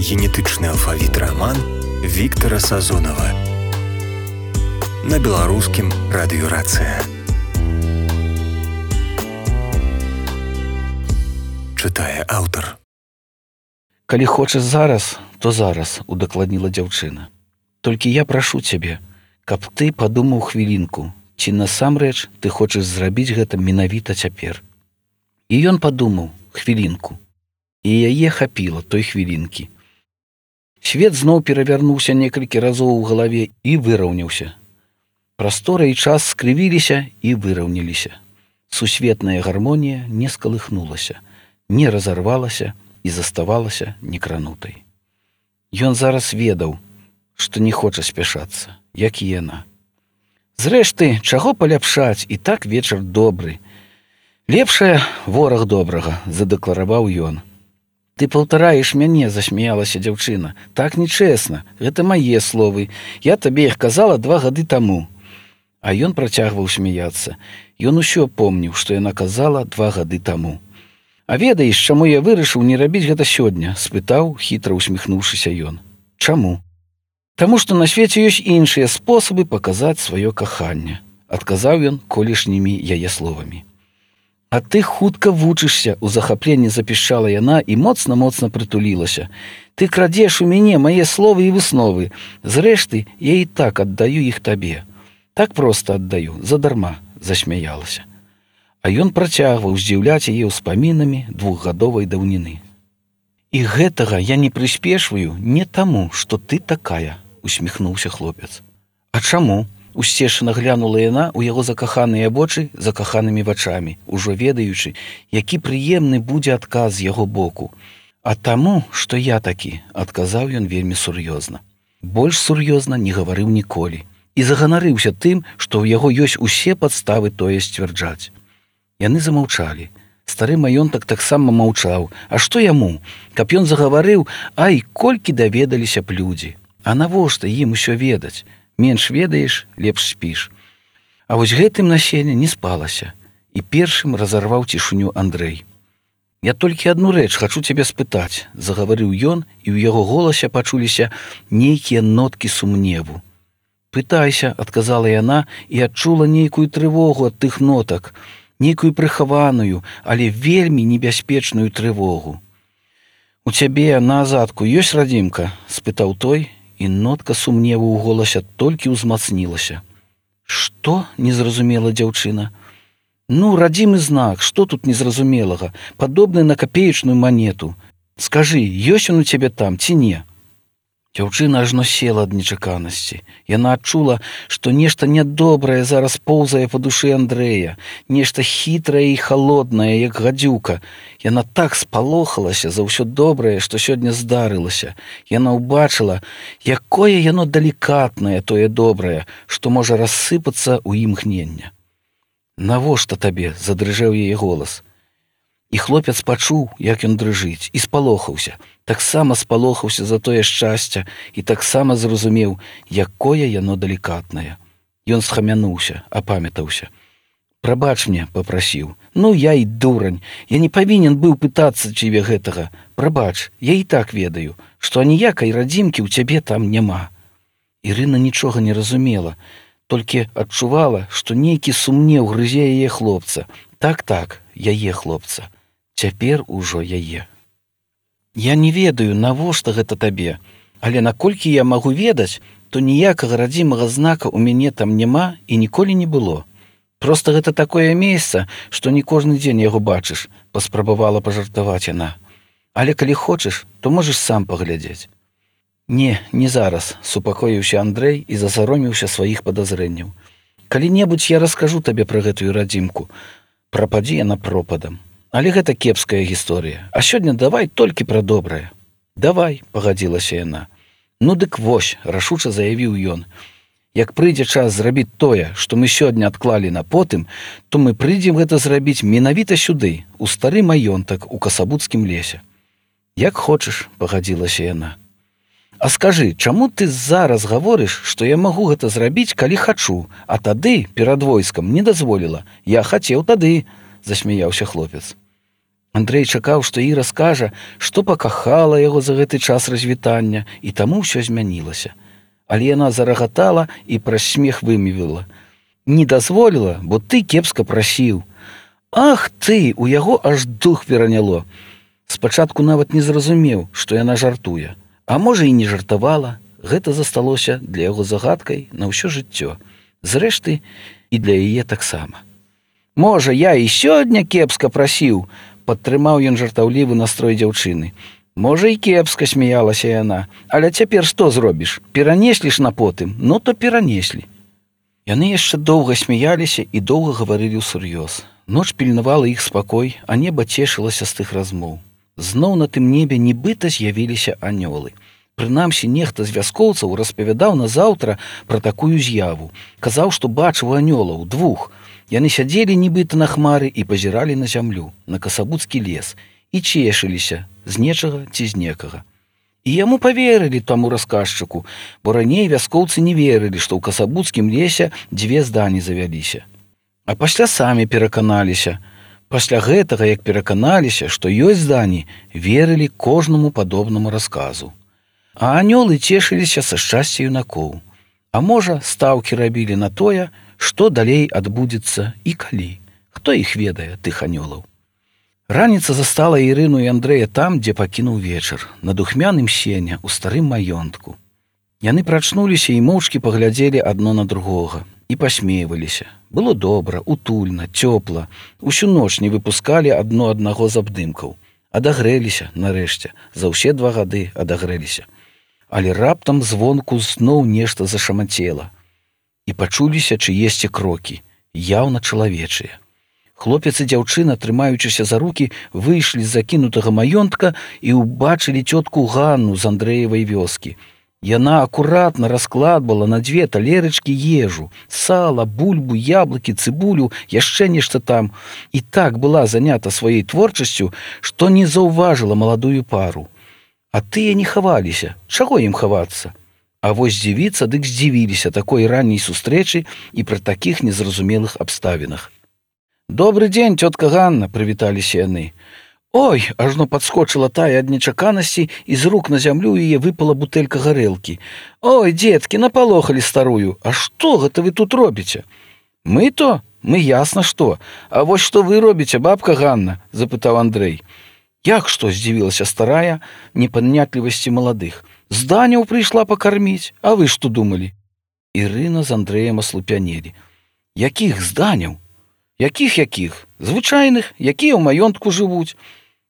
Генетычны алфавіт раман Віктара Сазонава на беларускім радыёрацыя. Чытае аўтар. Калі хочаш зараз, то зараз, удакладніла дзяўчына. Толькі я прашу цябе, каб ты падумаў хвілінку, ці насамрэч ты хочаш зрабіць гэта менавіта цяпер. І ён падумаў хвілінку, і яе хапіла той хвілінкі. Свет зноў перавярнуўся некалькі разоў у галаве і выраўняўся. Прастора і час скрывіліся і выраўняліся. Сусветная гармонія не скалыхнулася, не разарвалася і заставалася некранутай. Ён зараз ведаў, што не хоча спяшацца, як і яна. Зрэшты, чаго паляпшаць, і так вечар добры. Лепшае вораг добрага, задэклараваў ён. Ты паўтараеш мяне, засмяялася дзяўчына. Так нечэсна, гэта мае словы. Я табе іх казала 2 гады таму. А ён працягваў смяяцца. Ён усё помніў, што яна казала 2 гады таму. А ведаеш, чаму я вырашыў не рабіць гэта сёння? Спытаў, хітра усміхнуўшыся ён. Чаму? Таму што на свеце ёсць іншыя спосабы паказаць сваё каханне, адказаў ён колішнімі яе словамі. А ты хутка вучышся, у захапленні запішчала яна і моцна-моцна прытулілася. Ты крадзеш у мяне мае словы і высновы. Зрэшты, я і так аддаю іх табе. Так проста аддаю, задарма, засмяялася. А ён працягваў здзіўляць яе ўспамінамі 2гадовай даўніны. І гэтага я не прыспешваю не таму, што ты такая, усміхнуўся хлопец. А чаму? Усцешана глянула яна ў яго закаханыя вочы закаханымі вачамі, ужо ведаючы, які прыемны будзе адказ з яго боку. А таму, што я такі, адказаў ён вельмі сур'ёзна. Больш сур'ёзна не гаварыў ніколі. І заганарыўся тым, што ў яго ёсць усе падставы тое сцвярджаць. Яны замаўчалі. Стары маёнтак таксама маўчаў. А што яму? Каб ён загаварыў, ай, колькі даведаліся б людзі. А навошта ім усё ведаць? Менш ведаеш, лепш спіш. А вось гэтым насенне не спалася. І першым разарваў цішыню Андрэй. Я толькі адну рэч хачу цябе спытаць, загаварыў ён, і ў яго голасе пачуліся нейкія ноткі сумневу. Пытайся, адказала яна і адчула нейкую трывогу ад тых нотак, нейкую прыхаваную, але вельмі небяспечную трывогу. У цябе на азадку ёсць радзімка? Спытаў той, і нотка сумневу ў голасе толькі ўзмацнілася. Што? Не зразумела дзяўчына. Ну, радзімы знак, што тут незразумелага? Падобны на капеечную манету. Скажы, ёсць ён у цябе там ці не? Дзяўчына ажно села ад нечаканасці. Яна адчула, што нешта нядобрае зараз поўзае па душы Андрэя, нешта хітрае і халоднае, як гадзюка. Яна так спалохалася за ўсё добрае, што сёння здарылася. Яна ўбачыла, якое яно далікатнае, тое добрае, што можа рассыпацца ў імгнення. Навошта табе? Задрыжэў яе голас. І хлопец пачуў, як ён дрыжыць, і спалохаўся. Таксама спалохаўся за тое шчасце і таксама зразумеў, якое яно далікатнае. Ён схамянуўся, апамятаўся. Прабач мне, папрасіў. Ну, я і дурань. Я не павінен быў пытацца цябе гэтага. Прабач, я і так ведаю, што аніякай радзімкі ў цябе там няма. Ірына нічога не разумела, толькі адчувала, што нейкі сумнеў грызе яе хлопца. Так, яе хлопца. Цяпер ужо яе. Я не ведаю, навошта гэта табе, але наколькі я магу ведаць, то ніякага радзімага знака ў мяне там няма і ніколі не было. Проста гэта такое месца, што не кожны дзень яго бачыш, паспрабавала пажартаваць яна. Але калі хочаш, то можаш сам паглядзець. Не зараз, супакоіўся Андрэй і засаромеўся сваіх падазрэнняў. Калі-небудзь я раскажу табе пра гэтую радзімку. Прападзі яна пропадам. Але гэта кепская гісторыя. А сёння давай толькі пра добрае. Давай, пагадзілася яна. Ну дык вось, рашуча заявіў ён. Як прыйдзе час зрабіць тое, што мы сёння адклалі на потым, то мы прыйдзем гэта зрабіць менавіта сюды, у стары маёнтак у Касабуцкім лесе. Як хочаш, пагадзілася яна. А скажы, чаму ты зараз гаворыш, што я магу гэта зрабіць, калі хачу, а тады перад войскам не дазволіла. Я хацеў тады, засмяяўся хлопец. Андрэй чакаў, што Іра скажа, што пакахала яго за гэты час развітання, і таму ўсё змянілася. Але яна зарагатала і праз смех вымявіла: «Не дазволіла, бо ты кепска прасіў». Ах ты, у яго аж дух пераняло. Спачатку нават не зразумеў, што яна жартуе. А можа, і не жартавала. Гэта засталося для яго загадкай на ўсё жыццё. Зрэшты, і для яе таксама. «Можа, я і сёння кепска прасіў», падтрымаў ён жартаўлівы настрой дзяўчыны. «Можа, і кепска», смяялася яна. «Але цяпер што зробіш? Перанеслі ж на потым? Ну, то перанеслі». Яны яшчэ доўга смяяліся і доўга гаварылі ўсур'ёз. Ноч пільнавала іх спакой, а неба цешылася з тых размоў. Зноў на тым небе нібыта з'явіліся анёлы. Прынамсі, нехта з вяскоўцаў распавядаў назаўтра пра такую з'яву. Казаў, што бачыў анёлаў, 2. Яны сядзелі нібыта на хмары і пазіралі на зямлю, на касабуцкі лес, і цешыліся з нечага ці з некага. І яму паверылі таму расказчыку, бо раней вяскоўцы не верылі, што ў касабуцкім лесе 2 здані завяліся. А пасля самі пераканаліся. Пасля гэтага, як пераканаліся, што ёсць здані, верылі кожнаму падобнаму расказу. А анёлы цешыліся са шчасця юнакоў. А можа, стаўкі рабілі на тое, што далей адбудзецца і калі. Хто іх ведае, тых анёлаў? Раніца застала Ірыну і Андрэя там, дзе пакінуў вечар, на духмяным сене, у старым маёнтку. Яны прачнуліся і моўчкі паглядзелі адно на другога і пасмейваліся. Было добра, утульна, цёпла. Усю ноч не выпускалі адно аднаго з абдымкаў. Адагрэліся, нарэшце, за ўсе 2 гады адагрэліся. Але раптам звонку зноў нешта зашамацела. І пачуліся чыесьці крокі, яўна чалавечыя. Хлопец і дзяўчына, трымаючыся за рукі, выйшлі з закінутага маёнтка і ўбачылі цётку Ганну з Андрэевай вёскі. Яна акуратна раскладвала на 2 талерачкі ежу, сала, бульбу, яблыкі, цыбулю, яшчэ нешта там, і так была занята сваёй творчасцю, што не заўважыла маладую пару. А тыя не хаваліся. Чаго ім хавацца? А вось здзівіцца дык здзівіліся такой ранняй сустрэчы і пры такіх незразумелых абставінах. «Добры дзень, цётка Ганна», прывіталіся яны. «Ой!» – ажно падскочыла тая ад нечаканасці, і з рук на зямлю яе выпала бутэлька гарэлкі. «Ой, дзеткі, напалохалі старую! А што гэта вы тут робіце?» «Мы то? Мы ясна што. А вось што вы робіце, бабка Ганна?» – запытаў Андрэй. «Як што?» – здзівілася старая непанятлівасці маладых. «Зданяў прыйшла пакарміць. А вы што думалі?» Ірына з Андрэем аслупянелі. «Якіх зданяў? Якіх? Звычайных, якія ў маёнтку жывуць.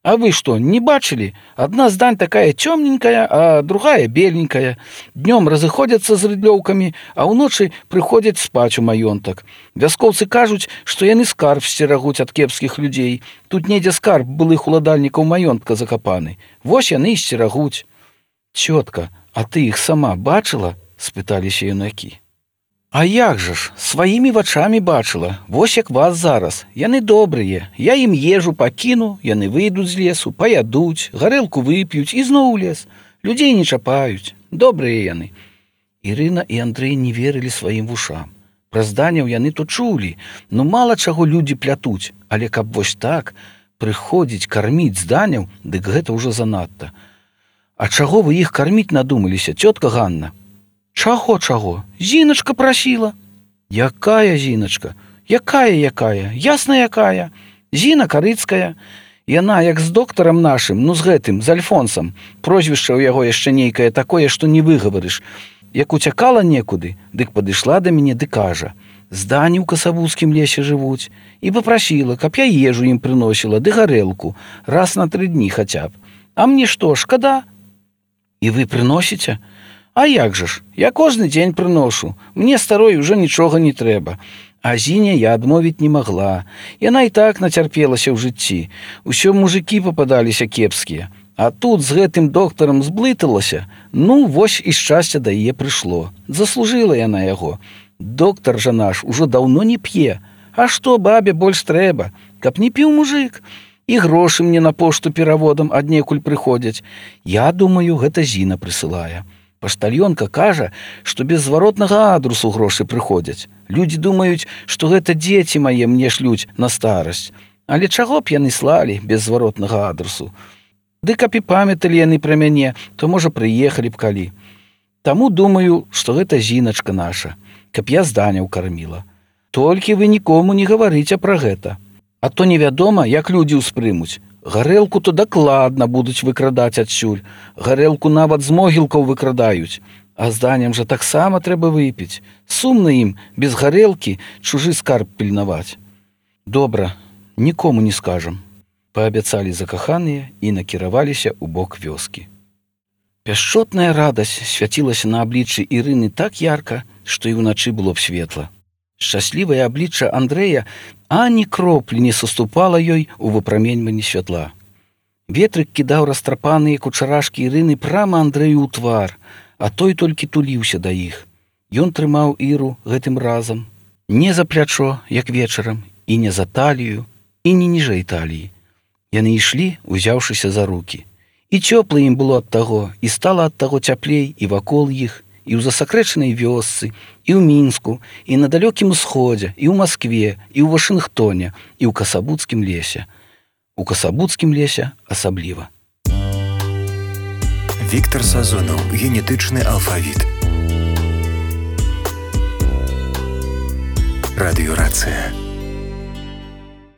А вы што, не бачылі? Адна здань такая цёмненькая, а другая беленькая. Днём разыходзяцца з рыдлёўкамі, а ўночы прыходзяць спаць у маёнтак. Вяскоўцы кажуць, што яны скарб сцерагуць ад кепскіх людзей. Тут недзе скарб былых уладальнікаў маёнтка закапаны. Вось яны і сцерагуць». «Цётка, а ты іх сама бачыла?» – спыталіся юнакі. «А як жа ж, сваімі вачамі бачыла, вось як вас зараз. Яны добрыя, я ім ежу пакіну, яны выйдуць з лесу, паядуць, гарэлку вып'юць і зноў у лес. Людзей не чапаюць, добрыя яны». Ірына і Андрэй не верылі сваім вушам. Пра зданяў яны то чулі, ну мала чаго людзі плятуць, але каб вось так прыходзіць карміць зданяў, дык гэта ўжо занадта. «А чаго вы іх карміць надумаліся, цётка Ганна?» «Чаго? Зіначка прасіла». «Якая Зіначка? Якая? Ясна якая. Зіна Карыцкая. Яна як з доктарам нашым, ну з гэтым, з Альфонсам. Прозвішча ў яго яшчэ нейкае такое, што не выгаварыш. Як уцякала некуды, дык падышла да мяне ды кажа: здані ў касабуцкім лесе жывуць. І папрасіла, каб я ежу ім прыносіла ды гарэлку, раз на 3 дні хаця б. А мне што, шкада?» «І вы прыносіце?» «А як жа ж, я кожны дзень прыношу, мне старой ужо нічога не трэба». А Зіне я адмовіць не магла. Яна і так нацярпелася ў жыцці. Усё мужыкі пападаліся кепскія. А тут з гэтым доктарам зблыталася. Ну, вось і шчасце да яе прыйшло. Заслужыла яна яго. Доктар жа наш ужо даўно не п'е. А што бабе больш трэба? Каб не піў мужык. І грошы мне на пошту пераводам аднекуль прыходзяць. Я думаю, гэта Зіна прысылае. Паштальёнка кажа, што без зваротнага адресу грошы прыходзяць. Людзі думаюць, што гэта дзеці мае мне шлюць на старасць. Але чаго б яны слалі без зваротнага адресу? Ды каб і памяталі яны пра мяне, то, можа, прыехалі б калі. Таму думаю, што гэта зіначка наша, каб я зданяў карміла. Толькі вы нікому не гаварыце пра гэта. А то невядома, як людзі ўспрымуць. Гарэлку то дакладна будуць выкрадаць адсюль. Гарэлку нават з могілкаў выкрадаюць. А зданням жа таксама трэба выпіць. Сумна ім без гарэлкі чужы скарб пільнаваць. Добра, нікому не скажам. Паабяцалі закаханыя і накіраваліся ў бок вёскі. Пяшчотная радасць свяцілася на абліччы Ірыны так ярка, што і ўначы было б светла. Шчаслівае аблічча Андрэя ані кроплі не саступала ёй у выпраменьванні святла. Ветрык кідаў растрапаныя кучарашкі Ірыны прама Андрэю ў твар, а той толькі туліўся да іх. Ён трымаў Іру гэтым разам не за плячо, як вечарам, і не за талію, і не ніжэй таліі. Яны ішлі, узяўшыся за рукі. І цёпла ім было ад таго, і стала ад таго цяплей і вакол іх, і ў засакрэчанай вёсцы, і ў Мінску, і на далёкім усходзе, і ў Маскве, і ў Вашынгтоне, і ў Касабуцкім лесе. У Касабуцкім лесе асабліва. Віктар Сазонаў. Генетычны алфавіт. Радыёрацыя.